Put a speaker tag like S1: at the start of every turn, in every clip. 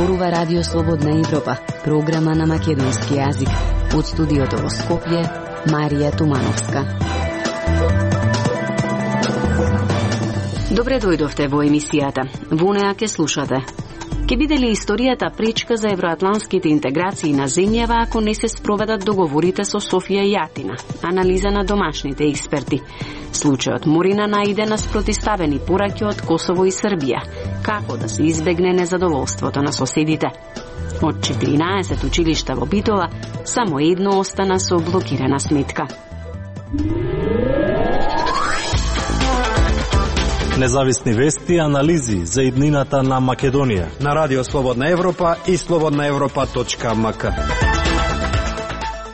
S1: зборува Радио Слободна Европа, програма на македонски јазик. Од студиото во Скопје, Марија Тумановска. Добре дојдовте во емисијата. Во неа ке слушате. Ке биде ли историјата пречка за евроатлантските интеграции на земјава ако не се спроведат договорите со Софија и Атина? Анализа на домашните експерти. Случајот Морина наиде на спротиставени пораки од Косово и Србија. Како да се избегне незадоволството на соседите? Од 14 училишта во Битола, само едно остана со блокирана сметка.
S2: Независни вести и анализи за иднината на Македонија
S3: на Радио Слободна Европа и slobodnaevropa.mk.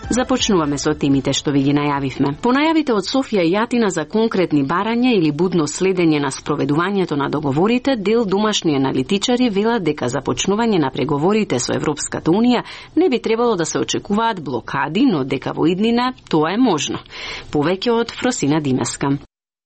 S1: Започнуваме со темите што ви ги најавивме. По најавите од Софија и Атина за конкретни барања или будно следење на спроведувањето на договорите, дел домашни аналитичари велат дека започнување на преговорите со Европската Унија не би требало да се очекуваат блокади, но дека во иднина тоа е можно. Повеќе од Фросина Димеска.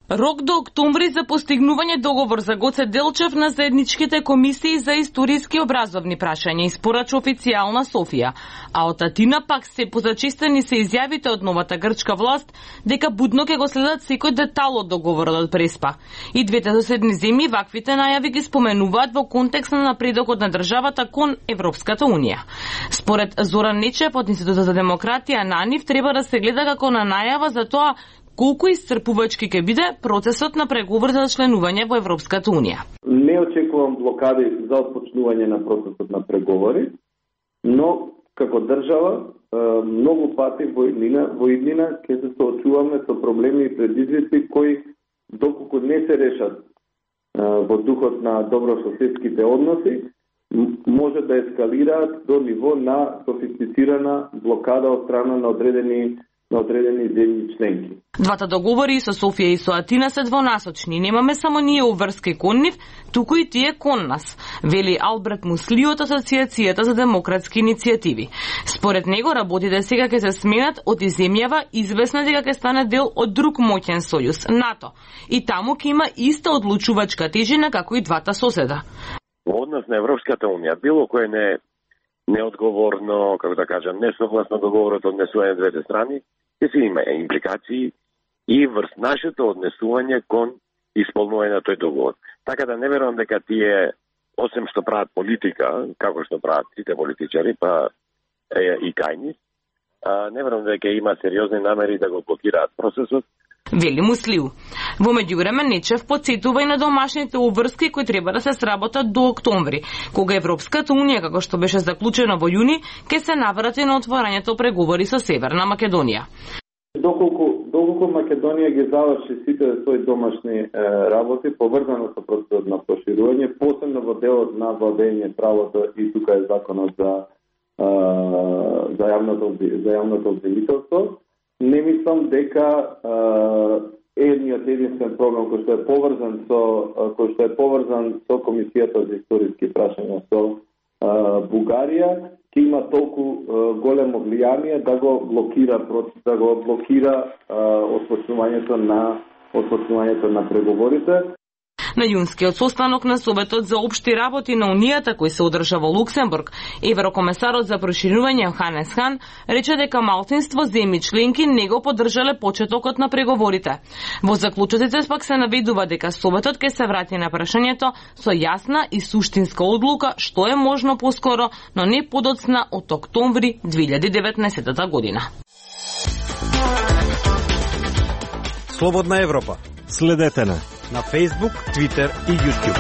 S4: Рок до октомври за постигнување договор за Гоце Делчев на заедничките комисии за историски образовни прашања испорача официјална Софија, а од Атина пак се позачистени се изјавите од новата грчка власт дека будно ќе го следат секој детал од договорот од Преспа. И двете соседни земји ваквите најави ги споменуваат во контекст на напредокот на државата кон Европската Унија. Според Зоран Нечев од Институтот за демократија на НИФ треба да се гледа како на најава за тоа колку исцрпувачки ќе биде процесот на преговор за членување во Европската Унија.
S5: Не очекувам блокади за отпочнување на процесот на преговори, но како држава многу пати во иднина ќе се соочуваме со проблеми и предизвици кои доколку не се решат во духот на добрососедските односи, може да ескалираат до ниво на софистицирана блокада од страна на одредени земји членки.
S4: Двата договори со Софија и со Атина се двонасочни. Немаме само ние уврски кон нив, туку и тие кон нас, вели Алберт Мусли од Асоциацијата за демократски иницијативи. Според него работите сега ќе се сменат од земјава известна дека ќе стане дел од друг моќен сојуз, НАТО, и таму ќе има иста одлучувачка тежина како и двата соседа.
S6: Во однос на Европската Унија, било кое неодговорно, како да кажам, несогласно договорот однесување двете страни, ќе се има импликации и врз нашето однесување кон исполнување на тој договор. Така да не верувам дека тие, осем што прават политика, како што прават сите политичари, па и кајни, не верувам дека има сериозни намери да го блокираат процесот.
S4: Вели Муслиу. Во меѓувреме Нечев подсетува и на домашните обврски кои треба да се сработат до октомври, кога Европската Унија, како што беше заклучено во јуни, ќе се наврати на отворањето преговори со Северна Македонија.
S5: Доколку Македонија ги заврши сите своји домашни работи, поврзано со процесот на проширување, посебно во делот на владење правото и тука е законот за јавното обвинителство, не мислам дека едниот единствен програм кој што е поврзан со Комисијата за историски прашања со Бугарија ќе има толку големо влијание да го блокира отпочнувањето на преговорите.
S4: На јунскиот состанок на Советот за општи работи на Унијата кој се одржа во Луксембург, еврокомесарот за проширување Ханес Хан рече дека малцинство земји членки не го поддржале почетокот на преговорите. Во заклучоците пак се наведува дека Советот ќе се врати на прашањето со јасна и суштинска одлука што е можно поскоро, но не подоцна од октомври 2019 година.
S3: Слободна Европа.
S2: Следете на
S3: Facebook, Twitter и YouTube.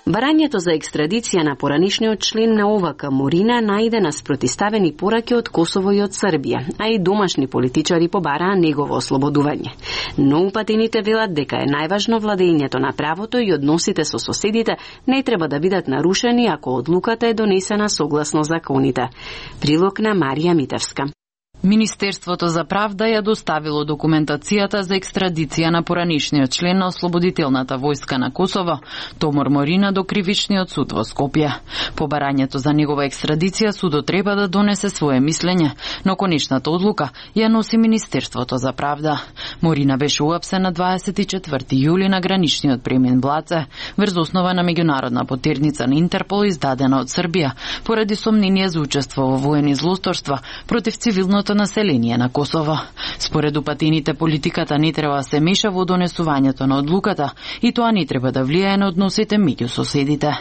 S1: Барањето за екстрадиција на поранишниот член на ОВК Морина најде на спротиставени пораки од Косово и од Србија, а и домашни политичари побараа негово ослободување. Но упатените велат дека е најважно владењето на правото и односите со соседите не треба да бидат нарушени ако одлуката е донесена согласно законите. Прилог на Марија Митевска.
S7: Министерството за правда ја доставило документацијата за екстрадиција на поранишниот член на Ослободителната војска на Косово, Томор Морина, до Кривичниот суд во Скопје. По барањето за негова екстрадиција судот треба да донесе свое мислење, но конечната одлука ја носи Министерството за правда. Морина беше уапсен на 24 јули на граничниот премин Блаце, врз основа на меѓународна потерница на Интерпол издадена од Србија, поради сомнение за учество во воени злосторства против цивилното население на Косово. Според упатените, политиката не треба да се меша во донесувањето на одлуката и тоа не треба да влијае на односите меѓу соседите.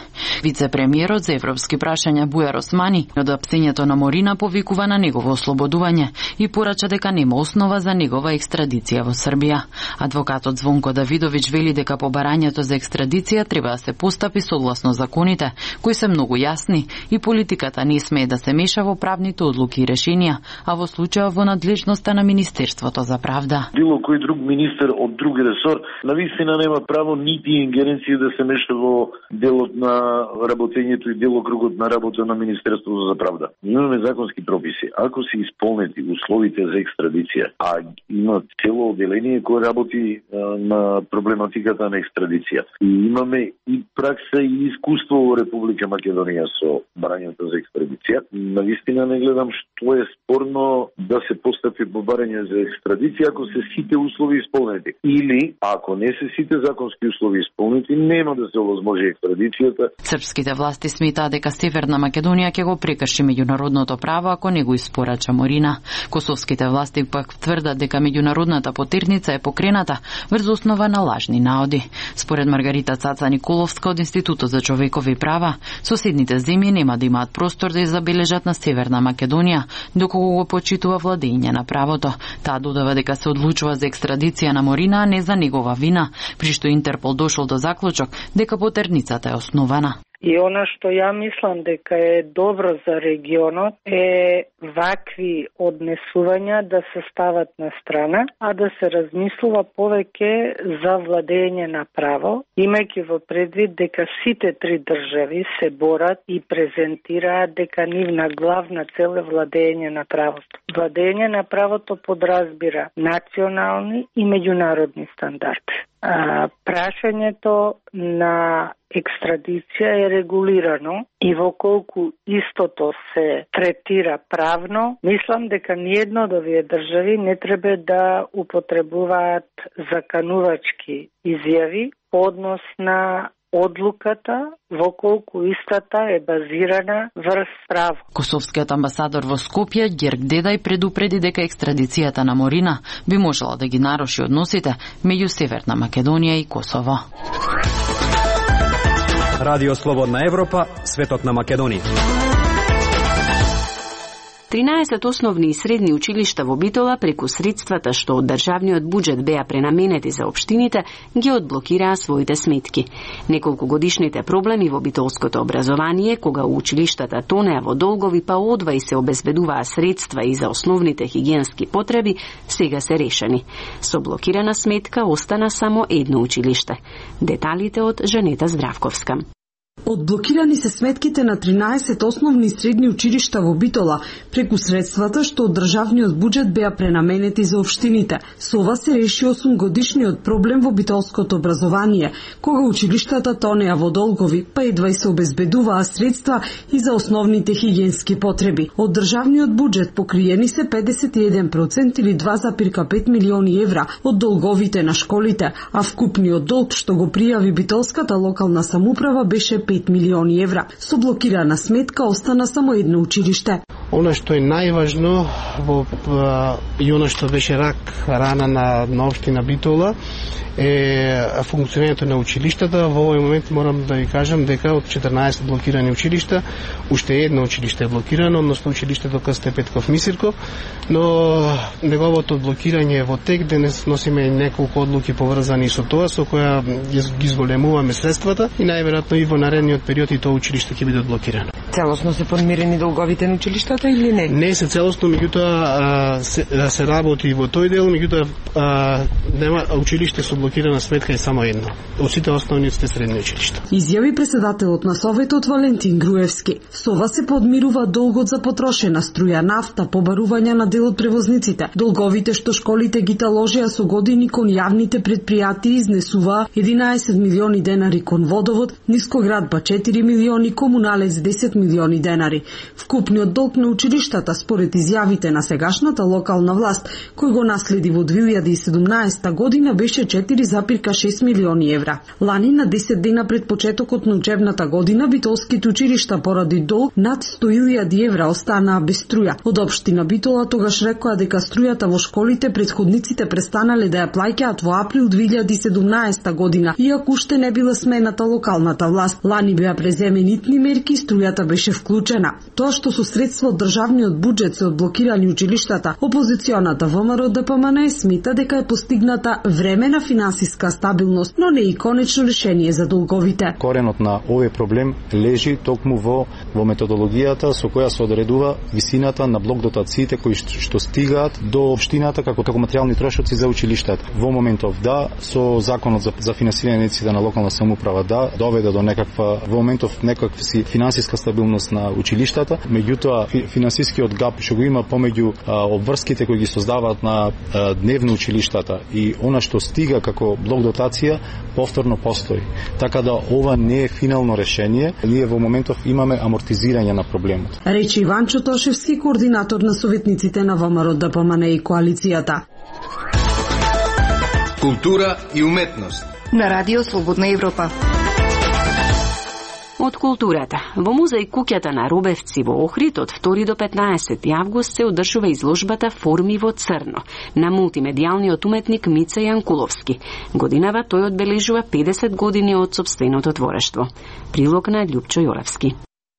S7: Вице-премиерот за европски прашања Бујар Османи од апсењето на Морина повикува на негово ослободување и порача дека нема основа за негова екстрадиција во Србија. Адвокатот Звонко Давидовиќ вели дека по барањето за екстрадиција треба да се постапи согласно законите, кои се многу јасни и политиката не смее да се меша во правните одлуки и решенија, а во случајот во надлежноста на Министерството за правда.
S8: Било кој друг министер од друг ресор навистина нема право нити ингеренција да се меша во делот на работењето и делокругот на работа на Министерството за правда. Имаме законски прописи. Ако се исполнети условите за екстрадиција, а има цело одделение кое работи на проблематиката на екстрадиција. И имаме и пракса и искуство во Република Македонија со барањето за екстрадиција. Навистина не гледам што е спорно да се постапи по барање за екстрадиција ако се сите услови исполнети. Или, ако не се сите законски услови исполнети, нема да се овозможи екстрадицијата.
S7: Српските власти сметаат дека Северна Македонија ќе го прекрши меѓународното право ако не го испорача Морина. Косовските власти пак тврдат дека меѓународната потерница е покрената врз основа на лажни наоди. Според Маргарита Цаца Николовска од Институтот за човекови права, соседните земји нема да имаат простор да забележат на Северна Македонија, доколку го почитува владење на правото. Таа додава дека се одлучува за екстрадиција на Морина, а не за негова вина, при што Интерпол дошол до заклучок дека потерницата е основана.
S9: И она што ја мислам дека е добро за регионот е вакви однесувања да се стават на страна, а да се размислува повеќе за владење на право, имајќи во предвид дека сите три држави се борат и презентираат дека нивна главна цел е владење на правото. Владење на правото подразбира национални и меѓународни стандарди. Прашањето на екстрадиција е регулирано и во колку истото се третира правно, мислам дека ниедно од овие држави не треба да употребуваат заканувачки изјави по однос на одлуката во колку истата е базирана врз право.
S7: Косовскиот амбасадор во Скопје Герк Дедај предупреди дека екстрадицијата на Морина би можела да ги наруши односите меѓу Северна Македонија и Косово.
S3: Радио Слободна Европа, светот на Македонија.
S1: 13 основни и средни училишта во Битола преку средствата што од државниот буџет беа пренаменети за општините ги одблокираа своите сметки. Неколку годишните проблеми во битолското образование, кога училиштата тонеа во долгови па одва и се обезбедуваа средства и за основните хигиенски потреби, сега се решени. Со блокирана сметка остана само едно училиште. Деталите од Жанета Здравковска.
S10: Одблокирани се сметките на 13 основни и средни училишта во Битола преку средствата што од државниот буџет беа пренаменети за општините. Со ова се реши 8-годишниот проблем во битолското образование, кога училиштата тонеа во долгови, па едва и се обезбедуваа средства и за основните хигиенски потреби. Од државниот буџет покриени се 51% или 2,5 милиони евра од долговите на школите, а вкупниот долг што го пријави битолската локална самоуправа беше 5 милиони евра. Со блокирана сметка остана само едно училиште.
S11: Она што е најважно и она што беше рана на општина Битола е функционирањето на училиштата. Во овој момент морам да ви кажам дека од 14 блокирани училишта, уште едно училиште е блокирано, односно училиштето К.Ст. Петков Мисирков, но неговото блокирање е во тек. Денес носиме неколку одлуки поврзани со тоа, со која ги зголемуваме средствата и најверојатно и во наредниот период и тоа училиште ќе биде блокирано.
S12: целосно се подмирени долговите на училиштата или не?
S11: Не се целосно, меѓутоа се работи во тој дел, меѓутоа нема училиште со блокирана сметка е само едно. Од сите основни средни училишта.
S10: Изјави председателот на Советот Валентин Груевски. Со ова се подмирува долгот за потрошена струја, нафта, побарување на дел од превозниците. Долговите што школите ги таложија со години кон јавните предпријатии изнесуваа 11 милиони денари кон водовод, Нискоградба 4 милиони, Комуналец 10 милиони денари. Вкупниот долг на училиштата според изјавите на сегашната локална власт, кој го наследи во 2017 година, беше 4,6 милиони евра. Лани на 10 дена пред почетокот на учебната година битолските училишта поради долг над 100.000 евра останаа без струја. Од општина Битола тогаш рекоа дека струјата во школите претходниците престанале да ја плаќаат во април 2017 година, иако уште не била смената локалната власт. Лани беа преземени итни мерки и струјата беше вклучена. Тоа што со средства од државниот буџет се одблокирани училиштата, опозиционата ВМРО ДПМН смета дека е постигната времена финансиска стабилност, но не и конечно решение за долговите.
S13: Коренот на овој проблем лежи токму во методологијата со која се одредува висината на блок дотациите кои што стигаат до општината како материјални трошоци за училиштата. Во моментов со законот за финансирање на на локална самоуправа доведе до во моментов некаква си финансиска стабилност на училиштата, меѓутоа финансискиот гап што го има помеѓу обврските кои ги создаваат на дневно училиштата и она што стига како блок дотација повторно постои. Така да ова не е финално решение, ние во моментов имаме амортизирање на проблемот.
S10: Речи Иванчо Тошевски, координатор на советниците на ВМРО ДПМН и коалицијата.
S14: Култура и уметност
S15: на Радио Слободна Европа.
S1: Од културата. Во музеј Куќата на Робевци во Охрид од 2 до 15 август се одржува изложбата Форми во црно на мултимедијалниот уметник Мица Јанкуловски. Годинава тој одбележува 50 години од сопственото творештво. Прилог на Љупчо Јолевски.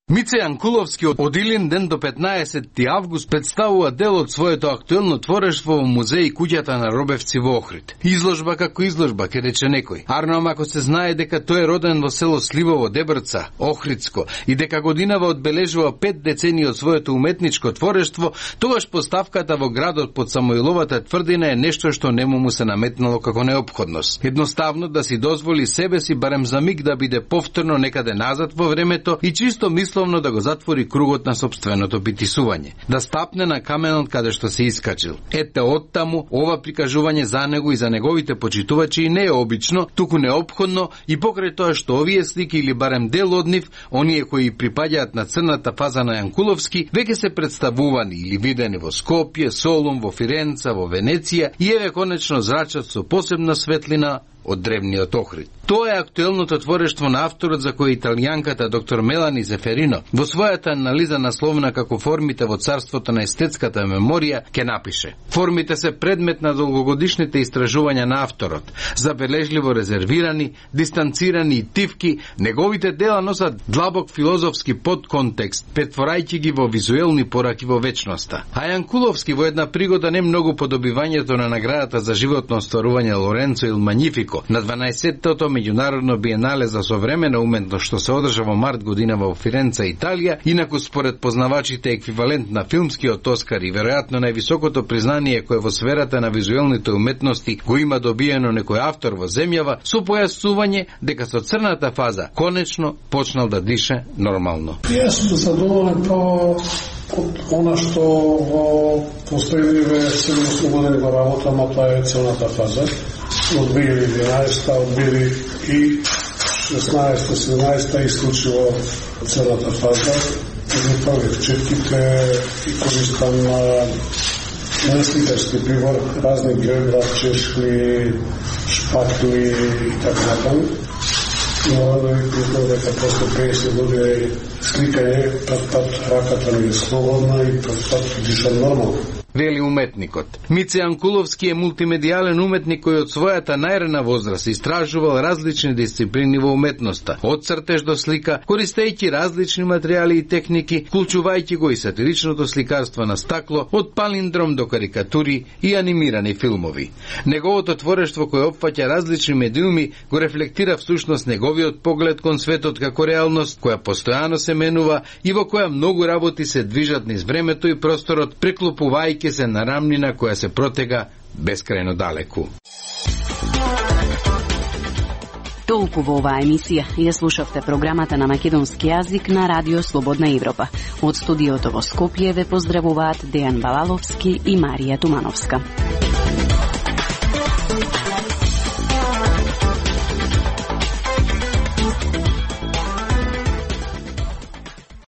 S14: Мица Јанкуловски од Илин ден до 15 август представува дел од своето актуелно творештво во музеј Куќата на Робевци во Охрид. Изложба како изложба, ке рече некој. Арно ако се знае дека тој е роден во село Сливово, Дебрца, Охридско, и дека годинава одбележува 5 децении од своето уметничко творештво, тогаш поставката во градот под Самоиловата тврдина е нешто што нему му се наметнало како неопходност. Едноставно да си дозволи себе си барем за миг да биде повторно некаде назад во времето и чисто да го затвори кругот на сопственото битисување, да стапне на каменот каде што се искачил. Ете оттаму, ова прикажување за него и за неговите почитувачи не е обично, туку неопходно и покрај тоа што овие слики или барем дел од нив, оние кои припаѓаат на црната фаза на Јанкуловски, веќе се представувани или видени во Скопје, Солун, во Фиренца, во Венеција и еве конечно зрачат со посебна светлина од древниот Охрид. Тоа е актуелното творештво на авторот за кој италијанката доктор Мелани Зеферино во својата анализа насловена како формите во царството на естетската меморија ќе напише: формите се предмет на долгогодишните истражувања на авторот, забележливо резервирани, дистанцирани и тивки, неговите дела носат длабок филозофски подконтекст, претворајќи ги во визуелни пораки во вечноста. А Јанкуловски во една пригода не многу по добивањето на наградата за животно остварување Лоренцо il Magnifico на 12-тото меѓународно биенале за современа уметност што се одржа во март годинава во Фиренца, Италија, инаку според познавачите еквивалент на филмскиот Оскар и веројатно највисокото признание кое во сферата на визуелните уметности го има добиено некој автор во земјава, со појасување дека со црната фаза конечно почнал да дише нормално.
S16: Јас сум задоволен од она што во постојливе се ослободени во работа, но тоа е црната фаза. Од 2011, од 2016-17 исклучиво црната фаза. Едни првих четките и користам несликарски прибор, разни географ, чешли, шпатли и така натаму. Но да ви признам дека после 50 години сликање, пат раката ми е слободна и пат дишам нормално.
S14: вели уметникот. Мице Анкуловски е мултимедијален уметник кој од својата најрана возраст истражувал различни дисциплини во уметноста, од цртеж до слика, користејќи различни материјали и техники, вклучувајќи го и сатиричното сликарство на стакло, од палиндром до карикатури и анимирани филмови. Неговото творештво кој опфаќа различни медиуми го рефлектира всушност неговиот поглед кон светот како реалност која постојано се менува и во која многу работи се движат низ времето и просторот, преклопувајќи се на рамнина која се протега бескрајно далеку.
S1: Толку во оваа емисија. Ја слушавте програмата на македонски јазик на Радио Слободна Европа. Од студиото во Скопје ве поздравуваат Дејан Балаловски и Марија Тумановска.